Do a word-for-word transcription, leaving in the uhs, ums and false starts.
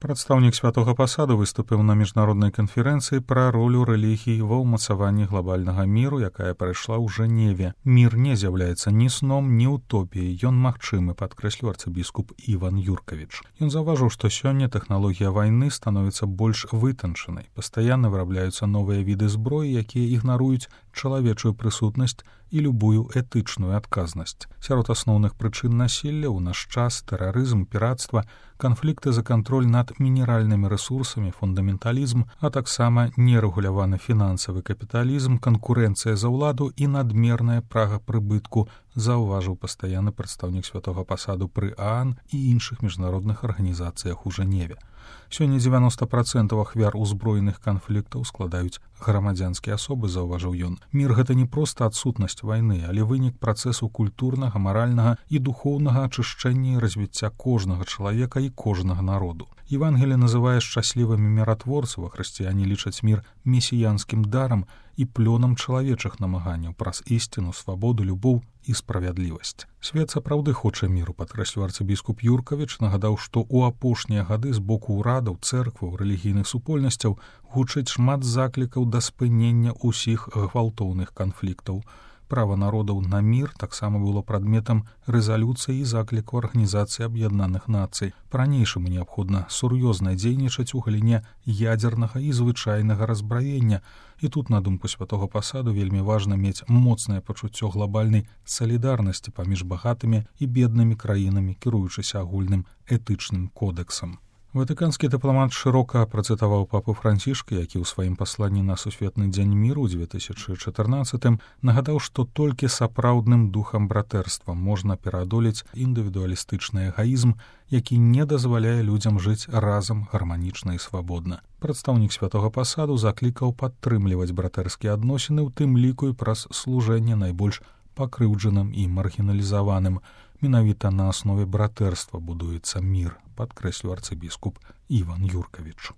Прадстаўнік святога пасаду выступіў на міжнароднай канферэнцыі пра ролю рэлігій ва ўмацаванні глобальнага міру, якая прайшла ў Жэневе. Мір не з'яўляецца ні сном, ні утопіяй. Ён магчымы, падкрэсліў арцыбіскуп Іван Юркавіч. Ён заўважыў, што сёння тэхналогія вайны становіцца больш вытанчанай. Пастаянна вырабляюцца новыя віды зброі, якія ігнаруюць чалавечую прысутнасць і любую этычную адказнасць. Сярод асноўных прычын насілля ў наш час тэрарызм, пірацтва, канфлікты за кантроль над мінеральнымі рэсурсамі, фундаменталізм, а таксама нерэгуляваны фінансавы капіталізм, канкурэнцыя за ўладу і надмерная прага прыбытку, заўважыў пастаянны прадстаўнік святога пасаду пры ААН і іншых міжнародных арганізацыях у Жэневе. Сёння дзевяноста працэнтаў ахвяр узброеных канфліктаў складаюць грамадзянскія асобы, заўважыў ён. Мір гэта не проста адсутнасць вайны, але вынік працэсу культурнага, маральнага і духоўнага ачышчэння і развіцця кожнага чалавека і кожнага народу. Евангелие называе шчаслівымі міратворцаў, а хрысціяне лічаць мір месіянскім дарам і плёнам чалавечых намаганняў праз ісціну, свабоду, любоў і справядлівасць. Свет сапраўды хоча міру, падкрэсліў арцыбіскуп Юркавіч, нагадаў, што ў апошнія гады з боку ўрадаў, цэркваў, рэлігійных супольнасцяў гучыць шмат заклікаў да спынення ўсіх гвалтоўных канфліктаў. Права народаў на мір таксама было прадметам рэзалюцыі і закліку Арганізацыі Аб'яднаных Нацый. Па-ранейшаму неабходна сур'ёзна дзейнічаць у галіне ядзернага і звычайнага разбраення. І тут, на думку святога пасаду, вельмі важна мець моцнае пачуццё глобальнай салідарнасці паміж багатымі і беднымі краінамі, кіруючыся агульным этычным кодэксам. Ватыканскі дыпламат шырока працытаваў папу Францішка, які ў сваім пасланні на сусветны дзень міру ў дзве тысячы чатырнаццатым нагадаў, што толькі сапраўдным духам братэрства можна пераадолець індывідуалістычны эгаізм, які не дазваляе людзям жыць разам гарманічна і свабодна. Прадстаўнік святога пасаду заклікаў падтрымліваць братэрскія адносіны, у тым ліку і праз служэнне найбольш пакрыўджаным і маргіналізаваным. Менавіта на аснове братэрства будуецца мір, падкрэсліў арцыбіскуп Іван Юркавіч.